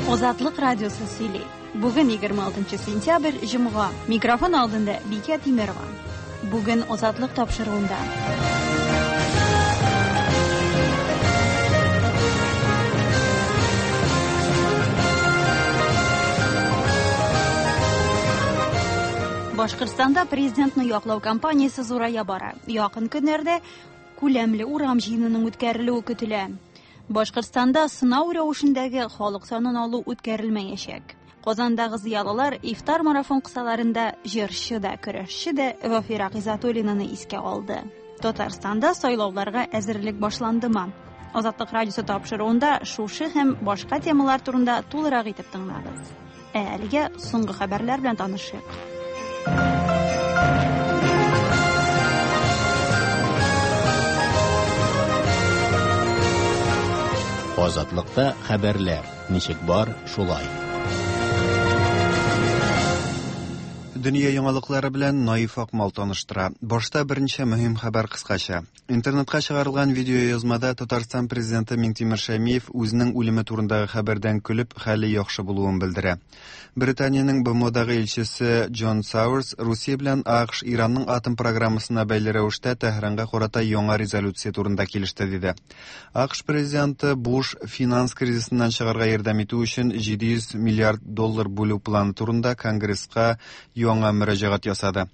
Азатлык радиосы сөйли. Бүген 26 сентябрь, җомга. Микрофон алдында Бикә Тимерова. Бүген Азатлык тапшыруында. Башкортстанда президентны яклау кампаниясе зурая бара. Якын көннәрдә күләмле урам җыенының үткәрелүе көтелә. Башкортстанда сынау рәвешендәге халык санын алу үткәрелмәячәк. Казандагы зыялылар ифтар марафон кысаларында җырчы да, көрәшче дә Вафира Гыйзатуллинаны искә алды. Татарстанда сайлауларга әзерлек башландымы? Азатлык радиосы тапшыруында шушы һәм башка темалар турында тулырак итеп тыңлагыз. Ә әлегә соңгы хәбәрләр белән танышыйк. Азатлыкта хәбәрләр ничек бар, шулай. Дөнья яңалыклары белән Наиф Акмал таныштыра. Башта берничә мөһим хәбәр кыскача. Интернетка чыгарылган видеоязмада Татарстан президенты Миңтимер Шәймиев үзенең үлеме турындагы хәбәрдән көлеп, хәле яхшы булуын белдерә. Британиянең БМОдагы илчесе Джон Сауэрс Русия белән АКШ Иранның атом программасына бәйле рәвештә Тәһранга карата яңа резолюция турында килеште, диде. АКШ президенты Буш финанс кризисыннан чыгарга ярдәм итү өчен 700 миллиард доллар бүлү планы турында Конгресска яңа мөрәҗәгать ясады.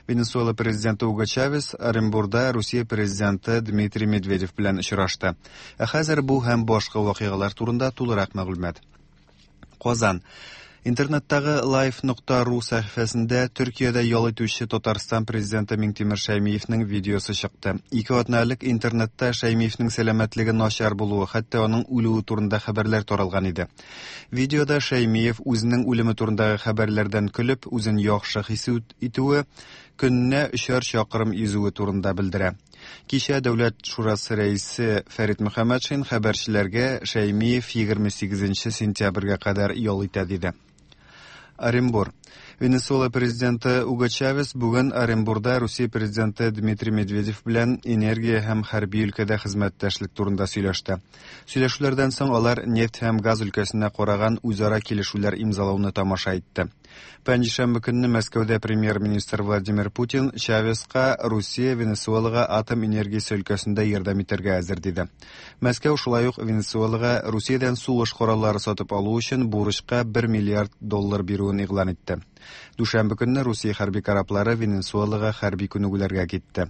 Венесуэла президенты Уго Чавес Оренбурда Русия президенты Дмитрий Медведев белән очрашты. Ә хәзер бу һәм башка вакыйгалар турында тулырак мәгълүмат. Казан. Интернеттагы life.ru сәхифәсендә Төркиядә ял итүче Татарстан президенты Миңтимер Шәймиевнең видеосы чыкты. Ике атна элек интернетта Шәймиевнең сәламәтлеге начар булуы, хәтта аның үлүе турында хәбәрләр таралган иде. Видеода Шәймиев үзенең үлеме турындагы хәбәрләрдән көлеп, үзен яхшы хис итүе, көненә өчәр чакрым йөзүе турында белдерә. Кичә Дәүләт шурасы рәисе Фәрит Мөхәммәтшин хәбәрчеләргә Шәймиев 28 сентябрьгә кадәр ял итә диде. Оренбур. Венесуэла президенты Уго Чавес бүген Оренбурда Русия президенты Дмитрий Медведев белән энергия һәм хәрби өлкәдә хезмәттәшлек турында сөйләште. Сөйләшүләрдән соң алар нефть һәм газ өлкәсенә караган үзара килешүләр имзалауны тамаша итте. Пәнҗешәмбе көнне Мәскәүдә премьер-министр Владимир Путин Чавеска Русия Венесуэлага атом энергиясе өлкәсендә ярдәм итәргә әзер диде. Мәскәү шулай ук Венесуэлага Русиядән сугыш кораллары сатып алу өчен бурычка 1 миллиард доллар бирүен игълан итте. Дүшәмбе көнне Русия хәрби кораблары Венесуэлага хәрби күнегүләргә китте.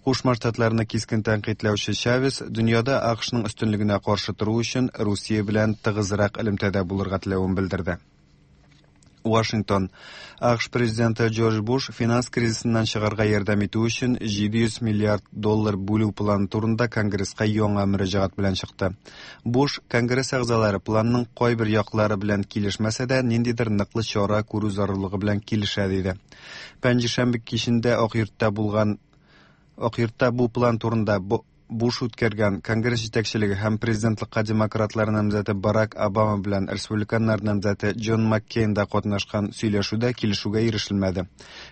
Кушма Штатларны кискен тәнкыйтьләүче Чавес дөньяда АКШның өстенлегенә каршы тору өчен Русия белән тыгызрак элемтәдә булырга теләвен белдерде. Вашингтон. АКШ президенты Джордж Буш финанс кризисыннан чыгарга ярдәм итү өчен 700 миллиард доллар бүлү планы турында Конгресска яңа мөрәҗәгать белән чыкты. Буш Конгресс әгъзалары планның кайбер яклары белән килешмәсә дә, ниндидер ныклы чара күрү зарурлыгы белән килешә диде. Пәнҗешәмбе кичендә Ак йортта булган Ак йортта бу план турында Буш үткәргән Конгресс җитәкчелеге һәм президентлыкка демократлар намзәте Барак Обама белән республиканнар намзәте Джон Маккейн да катнашкан сөйләшүдә килешүгә ирешелмәде.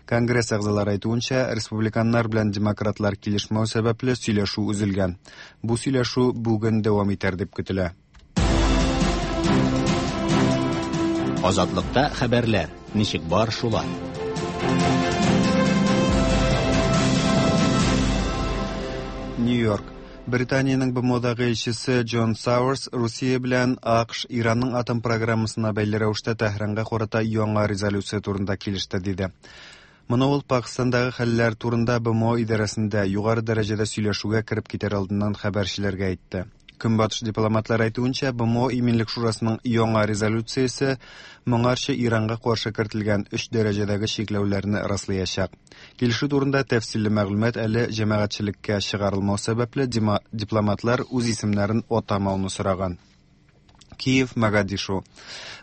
Конгресс әгъзалары әйтүенчә, республиканнар белән демократлар килешмәү сәбәпле сөйләшү өзелгән. Бу сөйләшү бүген дәвам итәр дип көтелә. Азатлыкта хәбәрләр ничек бар шулай. Нью-Йорк. Британиянең БМОдагы илчесе Джон Сауэрс Русия белән АКШ Иранның атом программасына бәйле рәвештә Тәһранга карата яңа резолюция турында килеште, диде. Моны ул Пакстандагы хәлләр турында БМО идарәсендә югары дәрәҗәдә сөйләшүгә кереп китәр алдыннан хәбәрчеләргә әйтте. Көнбатыш дипломатлары әйтүенчә, БМО Иминлек шурасының яңа резолюциясе моңарчы Иранга каршы кертелгән өч дәрәҗәдәге чикләүләрне раслаячак. Килешү турында тәфсилле мәгълүмат әле җәмәгатьчелеккә чыгарылмау сәбәпле, дипломатлар үз исемнәрен атамауны сораган. Киев, Могадишу.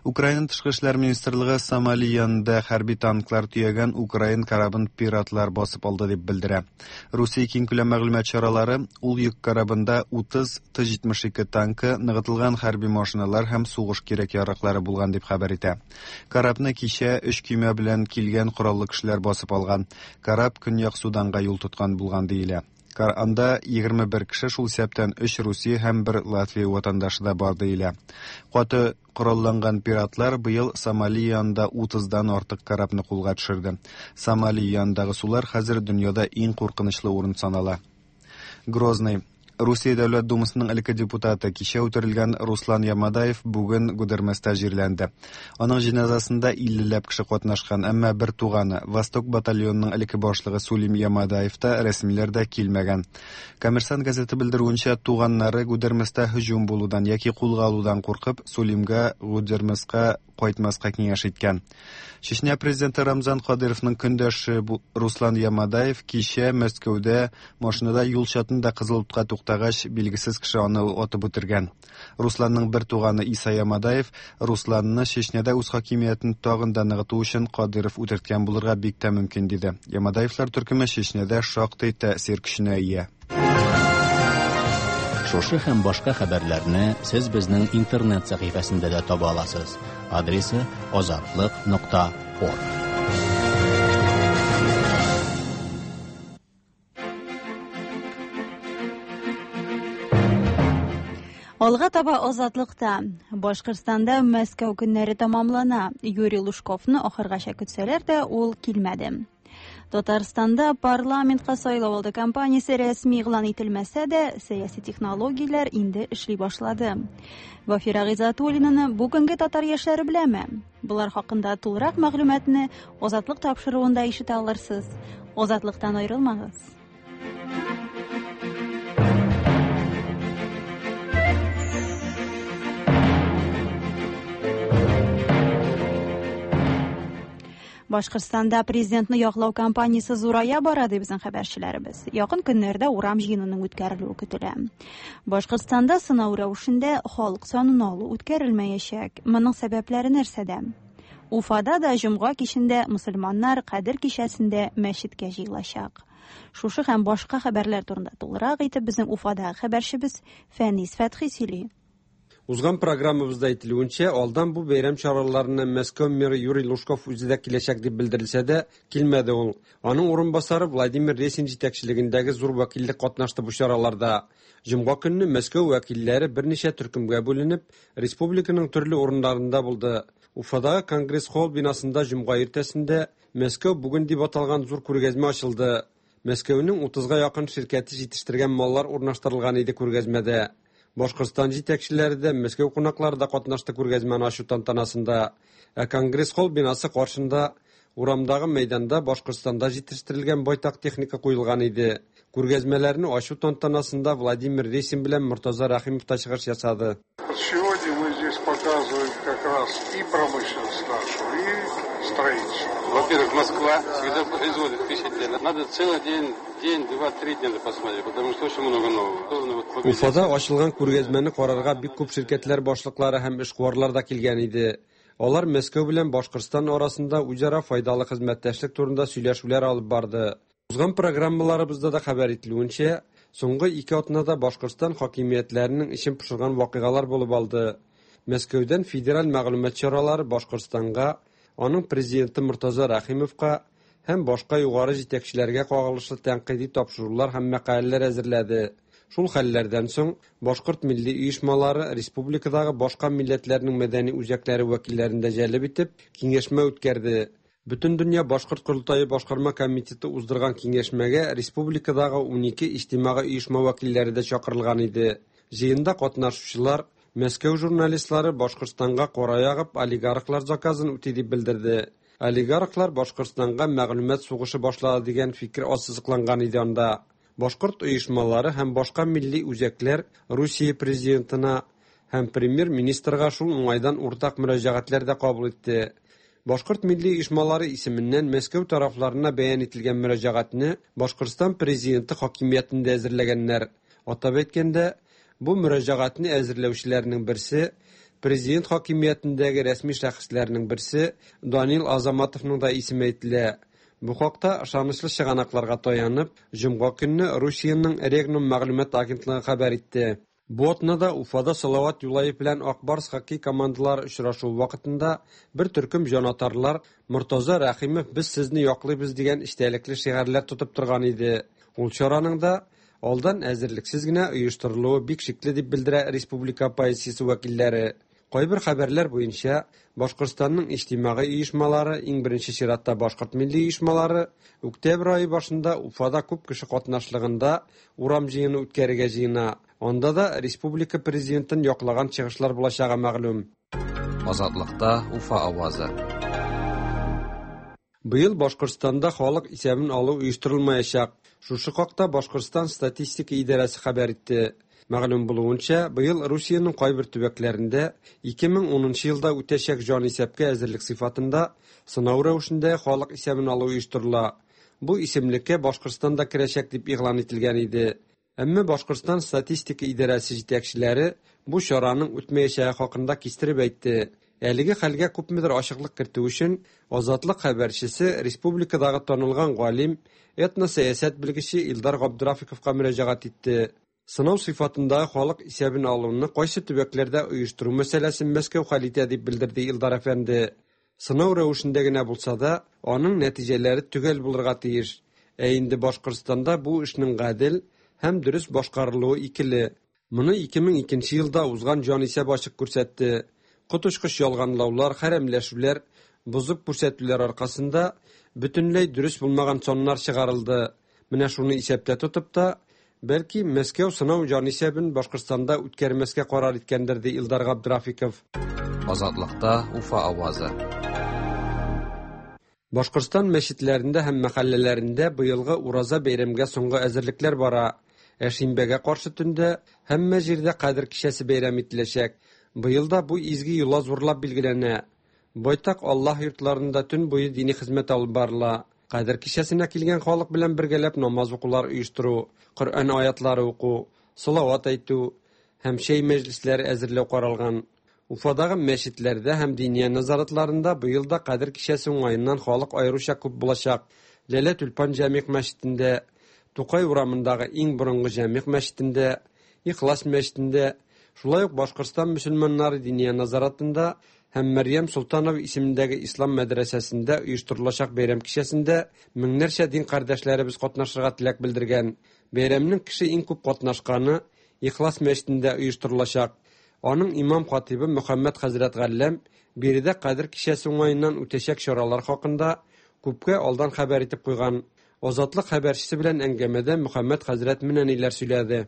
Украина тышкы эшләр министрлыгы Сомали янында хәрби танклар төягән украин корабын пиратлар басып алды дип белдерә. Русия киңкүләм мәгълүмат чаралары ул йөк корабында 30 Т-72 танкы, ныгытылган хәрби машиналар һәм сугыш кирәк-яраклары булган дип хәбәр итә. Корабны кичә өч көймә белән килгән кораллы кешеләр басып алган. Кораб Көньяк Суданга юл тоткан булган диелә. Анда 21 кеше, шул исәптән 3 Русия һәм 1 Латвия ватандашы да бар диелә. Каты коралланган пиратлар быел Сомали янында 30-дан артык корабны кулга төшерде. Сомали янындагы сулар хәзер дөньяда иң куркынычлы урын санала. Грозный. Русия Дәүләт Думасының элекке депутаты, кичә үтерелгән Руслан Ямадаев бүген Гудерместа җирләнде. Аның җеназасында 50 ләп кеше катнашкан, әмма бер туганы, Восток батальонының элекке башлыгы Сулим Ямадаев та, рәсмиләр дә килмәгән. Коммерсант газеты белдерүенчә, туганнары Гудерместа һөҗүм булудан яки кулга алудан куркып, Сулимга Гудермеска кайтмаска киңәш иткән. Чечня президенты Рамзан Кадыровның көндәше Руслан Ямадаев кичә Мәскәүдә машинада юл чатында кызыл утка туктагач, билгесез кеше аны атып үтергән. Русланның бер туганы Иса Ямадаев Русланны Чечняда үз хакимиятен тагын да ныгыту өчен Кадыров үтерткән булырга бик тә мөмкин диде. Ямадаевлар төркеме Чечняда шактый тәэсир көченә ия. Шушы һәм башка хәбәрләрне сез безнең интернет сәхифәсендә дә таба аласыз. Адресы azatliq.org. Алга таба Азатлыкта. Башкортстанда Мәскәү көннәре тәмамлана. Юрий Лужковны ахыргача көтсәләр дә, ул килмәде. Татарстанда парламентка сайлау алды кампаниясе рәсми игълан ителмәсә дә, сәяси технологияләр инде эшли башлады. Вафира Гыйззәтуллинаны бүгенге татар яшьләре беләме? Болар хакында тулырак мәгълүматны Азатлык тапшыруында ишетә алырсыз. Азатлыктан аерылмагыз. Башкортстанда президентны яклау кампаниясе зурая бара, ди безнең хәбәрчеләребез. Якын көннәрдә урам җыенының үткәрелүе көтелә. Башкортстанда сынау рәвешендә халык санын алу үткәрелмәячәк. Моның сәбәпләре нәрсәдә? Уфада да җомга кичендә мөселманнар Кадер кичәсендә мәчеткә җыелачак. Шушы һәм башка хәбәрләр турында тулырак итеп безнең Уфадагы хәбәрчебез Фәнис Фәтхи сөйли. Узган программабызда әйтелүенчә, алдан бу бәйрәм чараларына Мәскәү мэры Юрий Лужков үзе дә киләчәк дип белдерелсә дә, килмәде ул. Аның урынбасары Владимир Ресин җитәкчелегендәге зур вәкиллек катнашты бу чараларда. Җомга көнне Мәскәү вәкилләре берничә төркемгә бүленеп, республиканың төрле урыннарында булды. Уфадагы Конгресс-холл бинасында җомга иртәсендә Мәскәү бүген дип аталган зур күргәзмә ачылды. Мәскәүнең 30-га якын ширкәте җитештергән маллар урнаштырылган иде күргәзмәдә. Башкортстан җитәкчеләре дә, Мәскәү кунаклары да катнашты күргәзмәне ачу тантанасында. Ә Конгресс-холл бинасы каршында урамдагы мәйданда Башкортстанда җитештерелгән байтак техника куелган иде. Күргәзмәләрне ачу тантанасында Владимир Ресин белән Мортаза Рәхимов та чыгыш ясады. Сегодня мы здесь показываем как раз и промышленность нашу, и строительство. Во-первых, Москва всегда производит впечатление. Надо целый день, день, два, три дня посмотреть, потому что очень много нового. Уфада ачылган күргәзмәне карарга бик күп ширкәтләр башлыклары һәм эшкуарлар да килгән иде. Алар Мәскәү белән Башкортстан арасында үзара файдалы хезмәттәшлек турында сөйләшүләр алып барды. Узган программаларыбызда да хәбәр ителүенчә, соңгы 2 атнада Башкортстан хакимиятләренең эчен пошырган вакыйгалар булып алды. Мәскәүдән федераль мәгълүмат чаралары Башкортстанга, аның президенты Мортаза Рәхимовка һәм башка югары җитәкчеләргә кагылышлы тәнкыйди тапшырулар һәм мәкаләләр әзерләде. Шул хәлләрдән соң башкорт милли оешмалары республикадагы башка милләтләрнең мәдәни үзәкләре вәкилләрен дә җәлеп итеп киңәшмә үткәрде. Бөтендөнья башкорт корылтае башкарма комитеты уздырган киңәшмәгә республикадагы 12 иҗтимагый оешма вәкилләре дә чакырылган иде. Җыенда катнашучылар Мәскәү журналистлары Башкортстанга кара ягып олигархлар заказын үти дип белдерде. Олигархлар Башкортстанга мәгълүмат сугышы башлады дигән фикер ассызыкланган иде анда. Башкорт оешмалары һәм башка милли үзәкләр Русия президентына һәм премьер-министрга шул уңайдан уртак мөрәҗәгатьләр дә кабул итте. Башкорт милли оешмалары исеменнән Мәскәү тарафларына бәян ителгән мөрәҗәгатьне Башкортстан президенты хакимиятендә әзерләгәннәр. Атап әйткәндә, бу мөрәҗәгатьне әзерләүчеләрнең берсе президент хакимиятендәге рәсми шәхесләрнең берсе Данил Азаматовның да исеме әйтелә. Бу хакта ышанычлы чыганакларга таянып, җомга көнне Русиянең Регнум мәгълүмат агентлыгы хәбәр итте. Бу атнада Уфада Салават Юлаев белән Ак Барс хоккей командалары очрашуы вакытында бер төркем җанатарлар Мортаза Рәхимов без сезне яклыйбыз дигән эчтәлекле шигарьләр тотып торган иде. Ул чараның да алдан әзерлексез генә оештырылуы бик шикле дип белдерә республика оппозициясе вәкилләре. Кайбер хәбәрләр буенча, Башкортстанның иҗтимагый оешмалары, иң беренче чиратта башкорт милли оешмалары, октябрь ае башында Уфада күп кеше катнашлыгында урам җыены үткәрергә җыена. Анда да республика президентын яклаган чыгышлар булачагы мәгълүм. Азатлыкта Уфа авазы. Быел Башкортстанда халык исәбен алу оештырылмаячак. Шушы хакта Башкортстан статистика идарәсе хәбәр итте. Мәгълүм булуынча, быел Русиянең кайбер төбәкләрендә 2010 елда үтәчәк җанисәпкә әзерлек сыйфатында сынау рәвешендә халык исәбен алу оештырыла. Бу исемлеккә Башкортстан да керәчәк дип игълан ителгән иде. Әмма Башкортстан статистика идарәсе җитәкчеләре бу чараның үтмәячәге хакында кистереп әйтте. Әлеге хәлгә күпмедер ачыклык кертү өчен Азатлык хәбәрчесе республикадагы танылган галим, этносәясәт белгече Илдар Габдрафиковка мөрәҗәгать итте. Сынау сыйфатындагы халык исәбен алуны кайсы төбәкләрдә оештыру мәсьәләсен Мәскәү хәл итә дип белдерде Илдар әфәнде. Сынау рәвешендә генә булса да, аның нәтиҗәләре төгәл булырга тиеш. Ә инде Башкортстанда бу эшнең гадел һәм дөрес башкарылуы икеле. Моны 2002 елда узган җанисәп ачык күрсәтте. Коточкыч ялганлаулар, хәрәмләшүләр, бозып күрсәтүләр аркасында бөтенләй дөрес булмаган саннар чыгарылды. Менә шуны исәптә тотып та, бәлки Мәскәү сынау җанисәбен Башкортстанда үткәрмәскә карар иткәндер, ди Илдар Габдрафиков. Азатлыкта Уфа авазы. Башкортстан мәчетләрендә һәм мәхәлләләрендә быелгы Ураза бәйрәмгә соңгы әзерлекләр бара. Ә шимбәгә каршы төндә һәммә җирдә Кадер кичәсе бәйрәм ителәчәк. Быел да бу изге йола зурлап билгеләнә. Байтак Аллаһ йортларында төн буе дини хезмәт алып барыла. Кадер кичәсенә килгән халык белән бергәләп намаз укулар оештыру, Коръән аятлары уку, салават әйтү һәм чәй мәҗлесләре әзерләү каралган. Уфадагы мәчетләрдә һәм диния нәзаратларында быел да Кадер кичәсе уңаеннан халык аеруча күп булачак. Ләлә Тюльпан җәмигъ мәчетендә, Тукай урамындагы иң борынгы җәмигъ мәчетендә, Ихлас мәчетендә, шулай ук Башкортстан мөселманнары диния нәзаратында һәм Мәрьям Солтанова исемендәге ислам мәдрәсәсендә оештырылачак бәйрәм кичәсендә меңнәрчә дин кардәшләребез катнашырга теләк белдергән. Бәйрәмнең кеше иң күп катнашканы Ихлас мәчетендә оештырылачак. Аның имам хатибы Мөхәммәд хәзрәт Галләм биредә Кадер кичәсе уңаеннан үтәчәк чаралар хакында күпкә алдан хәбәр итеп куйган. Азатлык хәбәрчесе белән әңгәмәдә Мөхәммәд хәзрәт менә ниләр сөйләде.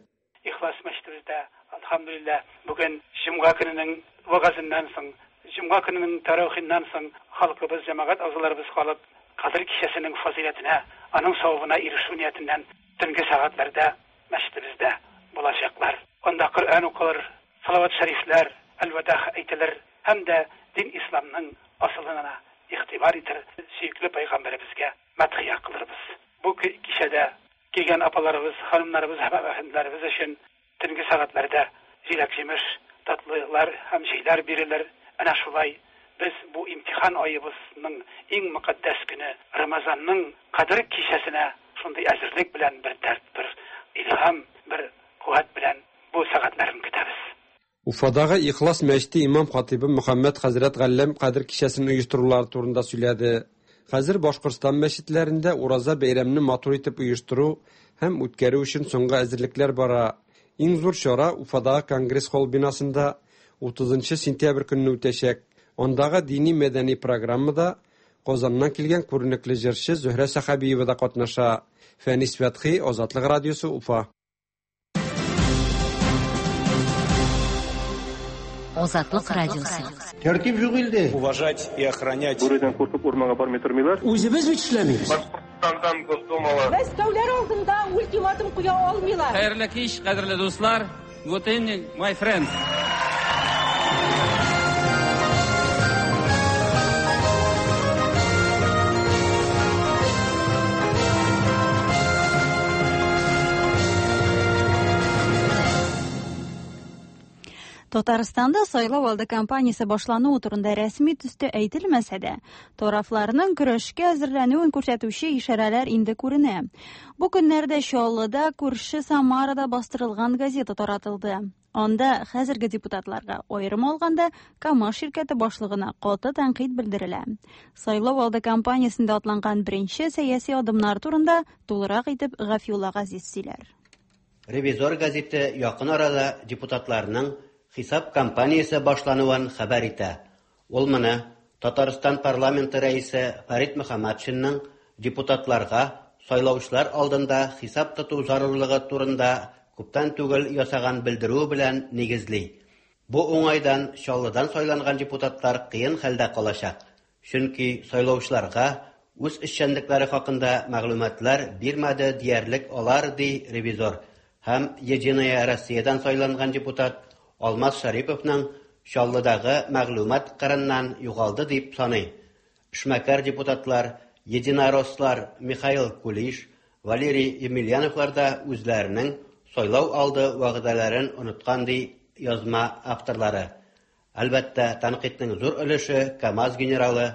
Ихлас мәчетебездә, әлхәмдүлилләһ, бүген җомга көненең вәгазеннән соң, җомга көненең тәравихыннан соң халкыбыз, җәмәгать әгъзаларыбыз калып, Кадер кичәсенең фазыйләтенә, аның савабына ирешү ниятеннән төнге сәгатьләрдә мәчетебездә булачаклар. Анда Коръән укылыр, салават шәрифләр, әлвәдах әйтелер һәм дә дин исламның асылына игътибар итер, сөекле пәйгамбәребезгә мәдхия кылырбыз. Бу кичәдә килгән апаларыбыз, ханымнарыбыз һәм әфәнделәребез өчен төнге сәгатьләрдә җиләк-җимеш, татлылар һәм чәйләр бирелер. Әнә шулай без бу имтихан аебызның иң мөкатдәс көне Рамазанның Кадер кичәсенә шундый әзерлек белән бер дәрт, бер илһам, бер куәт белән бу сәгатьләрен көтәбез. Уфадагы Ихлас мәчете имам хатибы Мөхәммәд хәзрәт Галләм Кадер кичәсен оештырулары турында сөйләде. Хәзер Башкортстан мәчетләрендә Ураза бәйрәмне матур итеп оештыру һәм үткәрү өчен соңгы әзерлекләр бара. Иң зур чара Уфадагы Конгресс-холл бинасында 30 сентябрь көнне үтәчәк. Андагы дини-мәдәни программада Казаннан килгән күренекле җырчы Зөһрә Сәхәбиева да катнаша. Фәнис Фәтхи, Азатлык радиосы, Уфа. Азатлык радиосы. Тәртип юк илдә. Уважать и охранять. Бүредән куркып урманга бармый тормыйлар. Үзебез бит эшләмибез. Башкортстандан Госдумалы. Мәскәүләр алдында ультиматум куя алмыйлар. Хәерле кич, кадерле дуслар. Good evening, my friends. Татарстанда сайлау алды кампаниясе башлануы турында рәсми төстә әйтелмәсә дә, тарафларның көрәшкә әзерләнүен күрсәтүче ишарәләр инде күренә. Бу көннәрдә Чаллыда күрше Самарада бастырылган газета таратылды. Анда хәзерге депутатларга, аерым алганда, КАМАЗ ширкәте башлыгына каты тәнкыйть белдерелә. Сайлау алды кампаниясендә атланган беренче сәяси адымнар турында тулырак итеп Гафиулла Газиз сөйләр. Ревизор гәзите якын арада депутатларның хисап кампаниясе башлануын хәбәр итә. Ул моны Татарстан парламенты рәисе Фәрит Мөхәммәтшинның депутатларга сайлаучылар алдында хисап тоту зарурлыгы турында күптән түгел ясаган белдерүе белән нигезли. Бу уңайдан Чаллыдан сайланган депутатлар кыен хәлдә калачак, чөнки сайлаучыларга үз эшчәнлекләре хакында мәгълүматлар бирмәде диярлек алар, ди Ревизор һәм Единая Россиядән сайланган депутат Алмаз Шәриповның Чаллыдагы мәгълүмат кырыннан югалды дип саный. Эшмәкәр депутатлар, единорослар Михаил Кулиш, Валерий Емельяновлар да үзләренең сайлау алды вәгъдәләрен оныткан, ди язма авторлары. Әлбәттә, тәнкыйтьнең зур өлеше КАМАЗ генералы,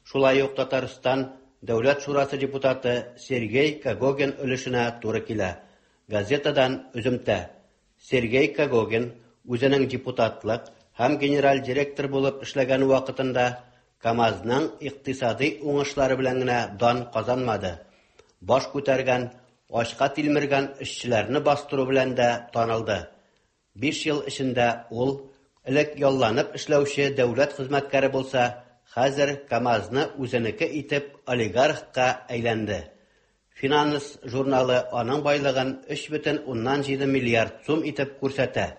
шулай ук Татарстан Дәүләт шурасы депутаты Сергей Когогин өлешенә туры килә. Газетадан өземтә. Сергей Когогин үзенең депутатлык һәм генераль директор булып эшләгән вакытында КАМАЗның икътисади уңышлары белән генә дан казанмады. Баш күтәргән, ачка тилмергән эшчеләрне бастыру белән дә танылды. 5 ел эчендә ул элек ялланып эшләүче дәүләт хезмәткәре булса, хәзер КАМАЗны үзенеке итеп олигархка әйләнде. Финанс журналы аның байлыгын 3,7 миллиард сум итеп күрсәтә.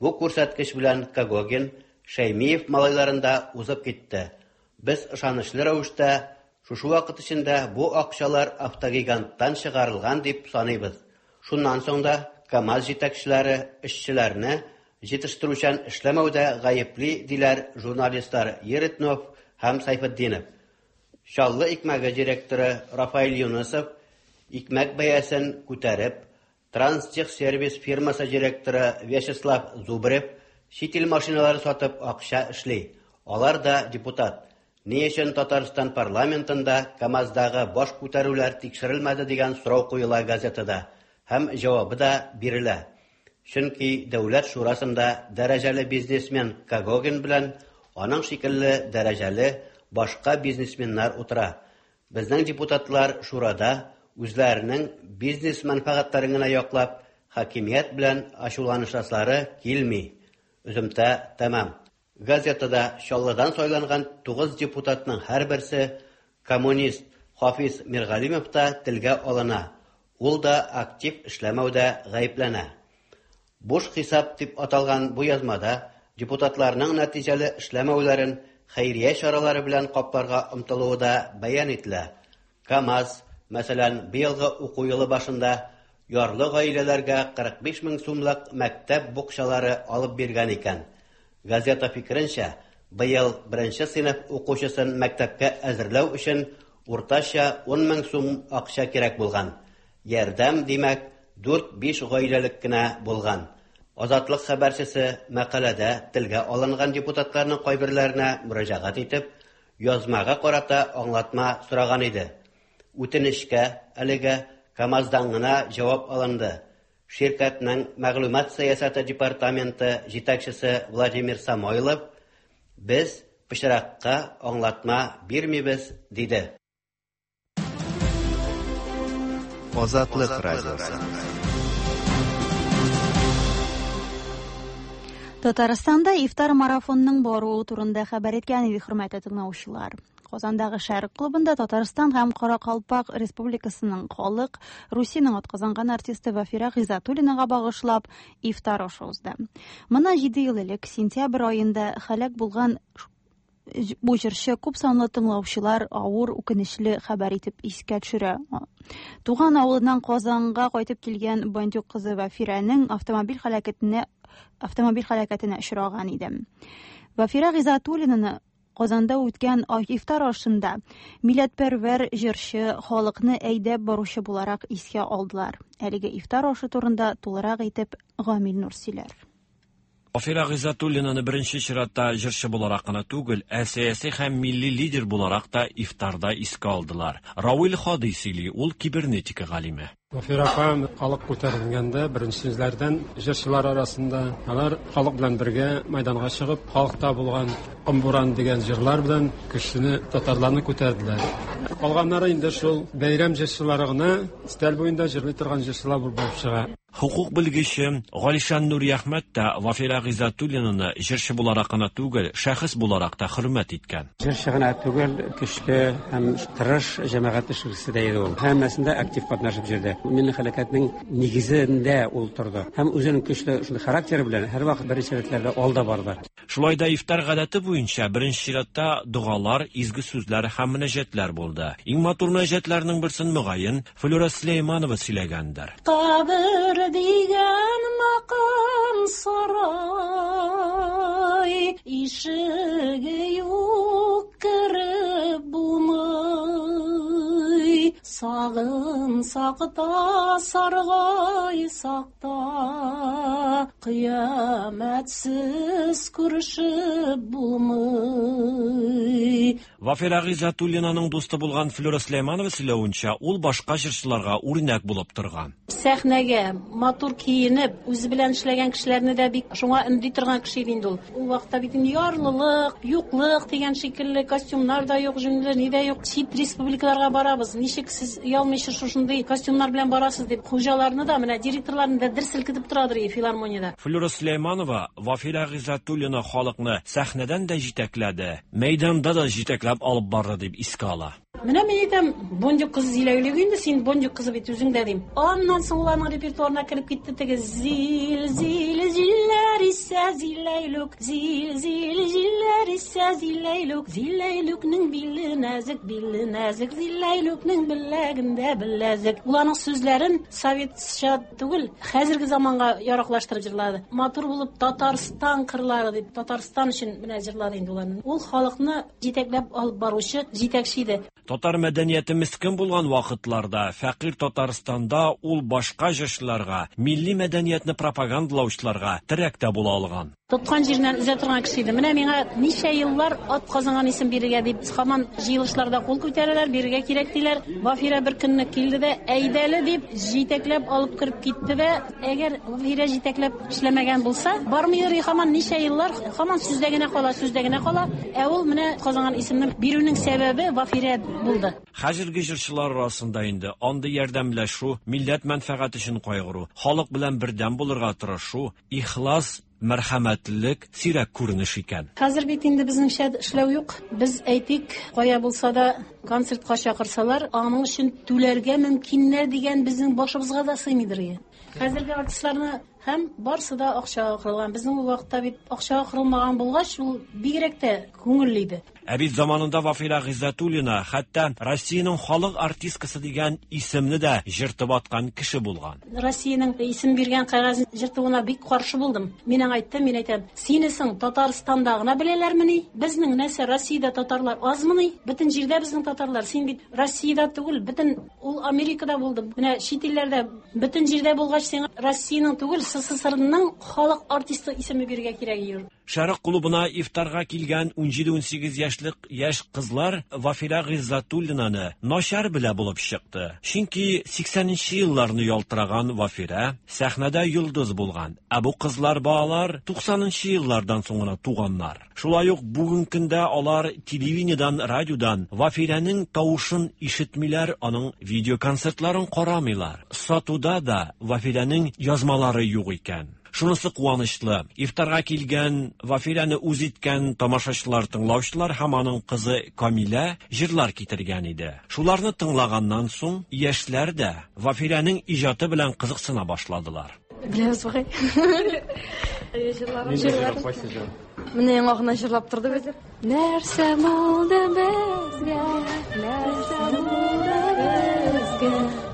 Бу күрсәткеч белән Когогин Шәймиев малайларын да узып китте. Без ышанычлы рәвештә шушы вакыт эчендә бу акчалар автогиганттан чыгарылган дип саныйбыз. Шуннан соң да КАМАЗ җитәкчеләре эшчеләрне җитештерүчән эшләмәүдә гаепли, диләр журналистлар Еретнов һәм Сайфетдинов. Чаллы икмәге директоры Рафаэль Юнысов икмәк бәясен күтәреп, Транстехсервис фирмасы директоры Вячеслав Зубрев чит ил машиналары сатып акча эшли. Алар да депутат. Ни өчен Татарстан парламентында КАМАЗдагы баш күтәрүләр тикшерелмәде дигән сорау куела газетада һәм җавабы да бирелә. Чөнки Дәүләт шурасында дәрәҗәле бизнесмен Когогин белән аның шикелле дәрәҗәле башка бизнесменнар утыра. Безнең депутатлар шурада үзләренең бизнес мәнфәгатьләрен генә яклап, хакимият белән ачуланышасылары килми. Өземтә тәмам. Газетада Чаллыдан сайланган 9 депутатның һәрберсе коммунист Хафиз Миргалимов та телгә алына. Ул да актив эшләмәүдә гаепләнә. Буш хисап дип аталган бу язмада депутатларның нәтиҗәле эшләмәүләрен хәйрия чаралары белән капларга омтылуы да бәян ителә. КАМАЗ, мәсәлән, быелгы уку елы башында ярлы гаиләләргә 45 мең сумлык мәктәп букчалары алып биргән икән. Газета фикеренчә, быел беренче сыйныф укучысын мәктәпкә әзерләү өчен уртача 10 мең сум акча кирәк булган. Ярдәм, димәк, 4-5 гаиләлек кенә булган. Азатлык хәбәрчесе мәкаләдә телгә алынган депутатларның кайберләренә мөрәҗәгать итеп, язмага карата аңлатма сораган иде. Үтенечкә әлегә КАМАЗдан гына җавап алынды. Ширкәтнең мәгълүмат сәясәте департаменты җитәкчесе Владимир Самойлов без пычракка аңлатма бирмибез, диде. Азатлык радиосы. Татарстанда ифтар марафонының баруы турында хәбәр иткән иде, хөрмәтле тыңлаучылар. Казандагы Шәрык клубында Татарстан һәм Каракалпак Республикасының халык Русиянең атказанган артисты Вафира Гыйззәтуллинага багышлап ифтар ашы узды. Моннан 7 ел элек сентябрь аенда һәлак булган бу җырчы күп санлы тыңлаучылар авыр үкенечле хәбәр итеп искә төшерә. Туган авылыннан Казанга кайтып килгән Бандюк кызы Вафирәнең автомобиль һәлакәтенә очраган иде. Вафира Гыйззәтуллинаны Казанда үткән ифтар ашында милләтпәрвәр җырчы халыкны әйдәп баручы буларак искә алдылар. Әлеге ифтар ашы турында тулырак итеп Гамил Нур сөйләр. Вафира Гыйззәтуллинаны беренче чиратта җырчы буларак кына түгел, ә сәяси һәм милли лидер буларак та ифтарда искә алдылар. Равил Хадый сөйли, ул кибернетика галиме. Вафира апа халык күтәрелгәндә беренчеләрдән җырчылар арасында алар халык белән бергә мәйданга чыгып, халыкта булган Ком-буран дигән җырлар белән кешене, татарларны күтәрделәр. Калганнары инде шул бәйрәм җырчылары гына, өстәл буенда җырлый торган җырчылар булып чыга. Хокук белгече Галишан Нуриәхмәт тә Вафирә Гыйззәтуллинаны җырчы буларак кына түгел, шәхес буларак та хөрмәт иткән. Җырчы гына түгел, көчле һәм тырыш җәмәгать эшлеклесе дә иде ул. Һәммәсендә актив катнашып йөрде. Милли хәрәкәтнең нигезендә ул торды. Һәм үзенең көчле шундый характеры белән һәрвакыт беренче рәтләрдә алда барды. Шулай да ифтар гадәте буенча беренче чиратта догалар, изге сүзләр һәм мөнәҗәтләр булды. Иң матур мөнәҗәтләрнең берсен, мөгаен, Флюра Сөләйманова сөйләгәндер. Кабер дигән макам сарай, Ишеге юк, кереп булмый. Сагынсак та, саргайсак та, Кыямәтсез күрешеп булмый. Вафирә Гыйззәтуллинаның дусты булган Флюра Сөләйманова сөйләвенчә, ул башка җырчыларга үрнәк булып торган. Сәхнәгә матур киенеп, үзе белән эшләгән кешеләрне дә бик шуңа өнди торган кеше иде инде ул. Ул вакытта бит инде ярлылык, юклык дигән шикелле, костюмнар да юк, җүнле ни дә юк. Чит республикаларга барабыз, ничек сез оялмыйча шушындый костюмнар белән барасыз дип, хуҗаларны да, менә директорларны да дер селкетеп торадыр иде филармониядә. Флюра Сөләйманова Вафирә Гыйззәтуллина халыкны сәхнәдән дә җитәкләде, мәйданда да җитәкләп алып барды, дип искә ала. Менә мин әйтәм, Бондюг кызы Зиләйлүк инде, син Бондюг кызы бит үзең дә, дим. Аннан соң ул аның репертуарына кереп китте теге зил, зил, җилләр исә Зиләйлүк, зил, зил, җилләр исә Зиләйлүк, Зиләйлүкнең биле нәзек, биле нәзек, Зиләйлүкнең беләгендә беләзек. Ул аның сүзләрен советча түгел, хәзерге заманга яраклаштырып җырлады. Матур булып Татарстан кырлары дип, Татарстан өчен менә җырлады инде ул аны. Ул халыкны җитәкләп алып баручы җитәкче иде. Татар мәдәнияте мескен булган вакытларда, фәкыйрь Татарстанда ул башка җырчыларга, милли мәдәниятне пропагандалаучыларга терәк тә була алган. Тоткан җиреннән өзә торган кеше иде. Менә миңа ничә еллар ат казанган исем бирергә дип һаман җыелышларда кул күтәрәләр, бирергә кирәк диләр. Вафирә бер көнне килде дә, әйдәле дип, җитәкләп алып кереп китте дә, әгәр Вафирә җитәкләп эшләмәгән булса, бармыйдыр и һаман ничә еллар, һаман сүздә генә кала, сүздә генә кала. Ә ул менә казанган исемне бирүнең сәбәбе Вафирә булды. Хәзерге җырчылар арасында инде андый ярдәмләшү, милләт мәнфәгате өчен кайгыру, халык белән бердәм булырга тырышу, ихлас Мәрхәмәтлелек сирәк күренеш икән. Хәзер бит инде безнеңчә эшләү юк. Без, әйтик, кая булса да концертка чакырсалар, аның өчен түләргә мөмкиннәр дигән безнең башыбызга да сыймыйдыр ие. Хәзерге артистларны һәм барсы да акчага корылган. Безнең ул вакытта бит акчага корылмаган булгач, ул бигрәк тә күңелле иде. Ә бит заманында Вафирә Гыйззәтуллина хәтта Россиянең халык артисткасы дигән исемне дә җыртып аткан кеше булган. Россиянең исем биргән кәгазен җыртуына бик каршы булдым. Мин аңа әйттем, мин әйтәм, сине соң Татарстанда гына беләләрмени? Безнең нәрсә, Россиядә татарлар азмыни? Бөтен җирдә безнең татарлар. Син бит Россиядә түгел, бөтен ул Америкада булды. Менә чит илләрдә, бөтен җирдә булгач, сиңа Россиянең түгел, СССРның халык артисты исеме бирергә кирәк иде. Шәрык клубына ифтарга килгән унҗиде-унсигез яшьлек яшь кызлар Вафирә Гыйззәтуллинаны начар белә булып чыкты. Чөнки сиксәненче елларны ялтыраган Вафирә сәхнәдә йолдыз булган, ә бу кызлар-балалар туксанынчы еллардан соң гына туганнар. Шулай ук бүген көндә алар телевидениедән, радиодан Вафирәнең тавышын ишетмиләр, аның видеоконцертларын карамыйлар. Сатуда да Вафирәнең язмалары юк икән. Шунысы куанычлы, ифтарга килгән, Вафирәне үз иткән тамашачылар, тыңлаучылар һәм аның кызы Камилә җырлар китергән иде. Шуларны тыңлаганнан соң, яшьләр дә Вафирәнең иҗаты белән кызыксына башладылар. Беләбез бугай. Җырлар. Нинди җыр, кайсы җыр? Менә яңа гына җырлап торды бит. Нәрсә булды безгә? Нәрсә булды безгә?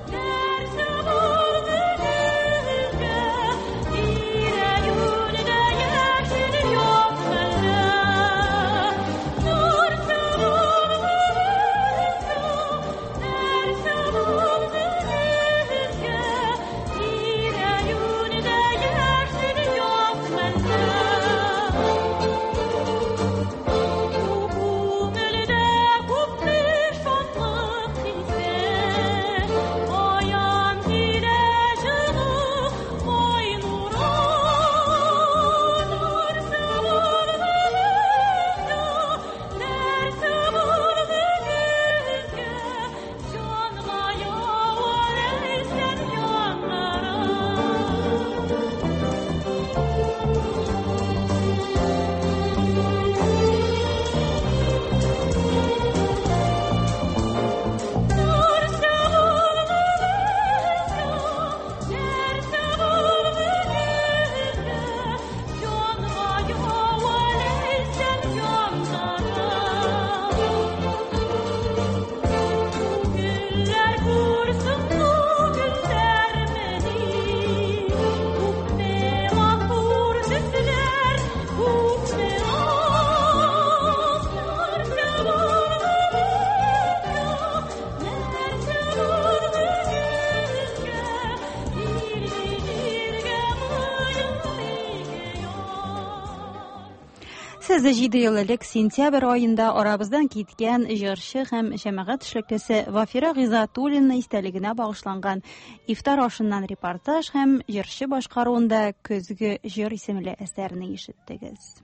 Сез 7 ел элек сентябрь аенда арабыздан киткән җырчы һәм җәмәгать эшлеклесе Вафира Гыйззәтуллина истәлегенә багышланган ифтар ашыннан репортаж һәм җырчы башкаруында Көзге җыр исемле әсәрне ишеттегез.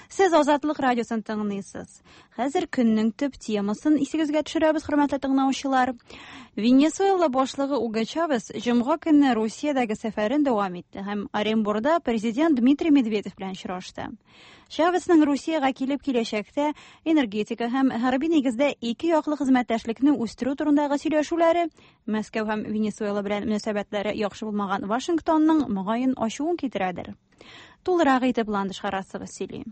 Сез Азатлык радиосын тыңлыйсыз. Хәзер көннең төп темасын исегезгә төшерәбез, хөрмәтле тыңлаучылар. Венесуэла башлыгы Уго Чавес җомга көнне Русиядәге сәфәрен дәвам итте һәм Оренбурда президент Дмитрий Медведев белән очрашты. Чавесның Русиягә килеп киләчәктә энергетика һәм хәрби нигездә ике яклы хезмәттәшлекне үстерү турындагы сөйләшүләре Мәскәү һәм Венесуэла белән мөнәсәбәтләре яхшы булмаган Вашингтонның мөгаен ачуын китерәдер. Тулырак итеп Ландыш Харасова сөйли.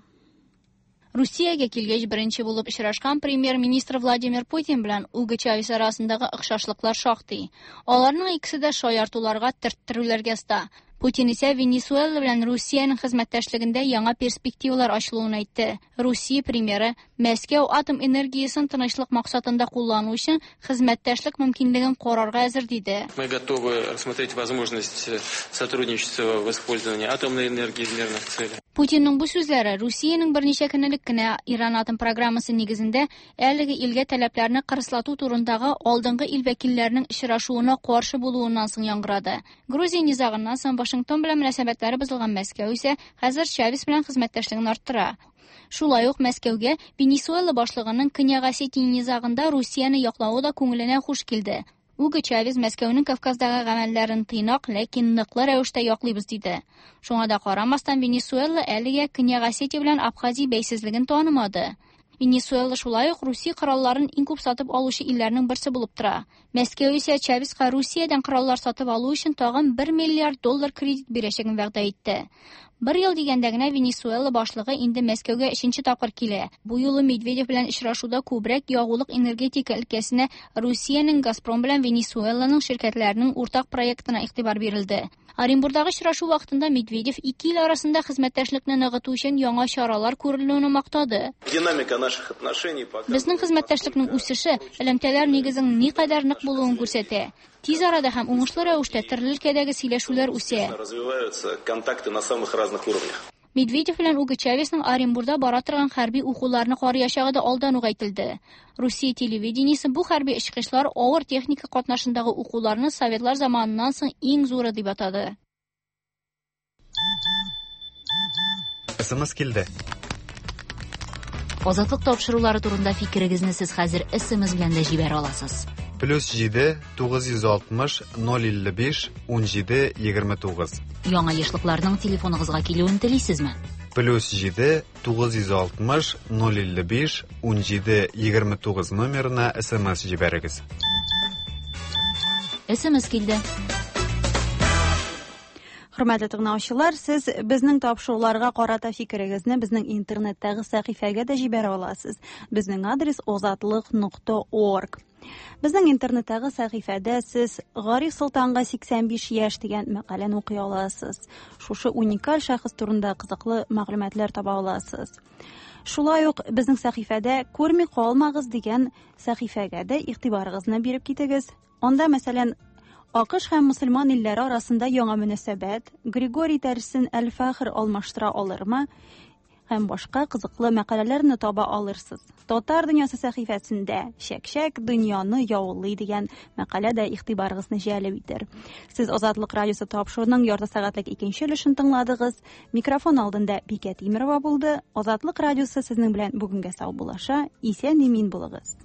Русиягә килгәч беренче булып очрашкан премьер-министр Владимир Путин белән Уго Чавес арасындагы охшашлыклар шактый. Аларның икесе дә шаяртуларга, төрттерүләргә оста. Путин исә Венесуэла белән Русиянең хезмәттәшлегендә яңа перспективалар ачылуын әйтте. Русия премьеры Мәскәү атом энергиясен тынычлык максатында куллану өчен хезмәттәшлек мөмкинлеген карарга әзер диде. Мы готовы рассмотреть возможность э, сотрудничества в использовании атомной энергии в мирных целях. Путинның бу сүзләре Русиянең берничә көн элек кенә Иран атом программасы нигезендә әлеге илгә таләпләрне кырыслату турындагы алдынгы ил вәкилләренең очрашуына каршы булуыннан соң яңгырады. Грузия низагыннан соң Вашингтон белән мөнәсәбәтләре бозылган Мәскәү исә хәзер Чавес белән хезмәттәшлеген арттыра. Шулай ук Мәскәүгә Венесуэла башлыгының Көньяк Осетия низагында Русияне яклавы да күңеленә хуш килде. Уго Чавес Мәскәүнең Кавказдагы гамәлләрен тыйнак, ләкин ныклы рәвештә яклыйбыз диде. Шуңа да карамастан, Венесуэла әлегә Көньяк Осетия белән Абхазия бәйсезлеген танымады. Венесуэла шулай ук Русия коралларын иң күп сатып алучы илләрнең берсе булып тора. Мәскәү исә Чавеска Русиядән кораллар сатып алу өчен тагын 1 миллиард доллар кредит бирәчәген вәгъдә итте. Бер ел дигәндә генә Венесуэла башлыгы инде Мәскәүгә өченче тапкыр килә. Бу юлы Медведев белән очрашуда күбрәк ягулык-энергетика өлкәсенә Русиянең Газпром белән Венесуэланың ширкәтләренең уртак проектына игътибар бирелде. Оренбурдагы очрашу вакытында Медведев ике ил арасында хезмәттәшлекне ныгыту өчен яңа чаралар күрелүен мактады. Динамика наших отношений пока. Безнең хезмәттәшлекнең үсеше элемтәләр нигезенең никадәр нык булуын күрсәтә. Тиз арада һәм уңышлы рәвештә төрле өлкәдәге сөйләшүләр үсә. Развиваются контакты на самых разных уровнях. Медведев белән Уго Чавесның Оренбурда бара торган хәрби укуларны карыячагы да алдан ук әйтелде. Русия телевидениесе бу хәрби очкычлар авыр техника катнашындагы укуларны советлар заманыннан соң иң зуры дип атады. СМС килде. Азатлык тапшырулары турында фикерегезне сез хәзер СМС белән дә җибәрә аласыз. Плюс 7 960 055 17 29. Яңа ешлыкларның телефоныгызга килүен телисезме? Плюс 7 960 055 17 29 номерына СМС җибәрегез. СМС килде. Хөрмәтле тыңлаучылар, сез безнең тапшыруларга карата фикерегезне безнең интернеттагы сәхифәгә дә җибәрә аласыз. Безнең адрес озатлык.орг. Безнең интернеттагы сәхифәдә сез Гариф Солтанга 85 яшь дигән мәкаләне укый аласыз. Шушы уникаль шәхес турында кызыклы мәгълүматлар таба аласыз. Шулай ук безнең сәхифәдә Күрми калмагыз дигән сәхифәгә дә игътибарыгызны биреп китегез. Анда, мәсәлән, АКШ һәм мөселман илләре арасында яңа мөнәсәбәт, Григорий дәресен Әл-Фәхр алмаштыра алырмы һәм башка кызыклы мәкаләләрне таба алырсыз. Татар дөньясы сәхифәсендә Чәк-чәк дөньяны яулый дигән мәкалә дә игътибарыгызны җәлеп итер. Сез Азатлык радиосы тапшыруының ярты сәгатьлек икенче өлешен тыңладыгыз. Микрофон алдында Бикә Тимерова булды. Азатлык радиосы сезнең белән бүгенгә саубуллаша. Исән-имин булыгыз.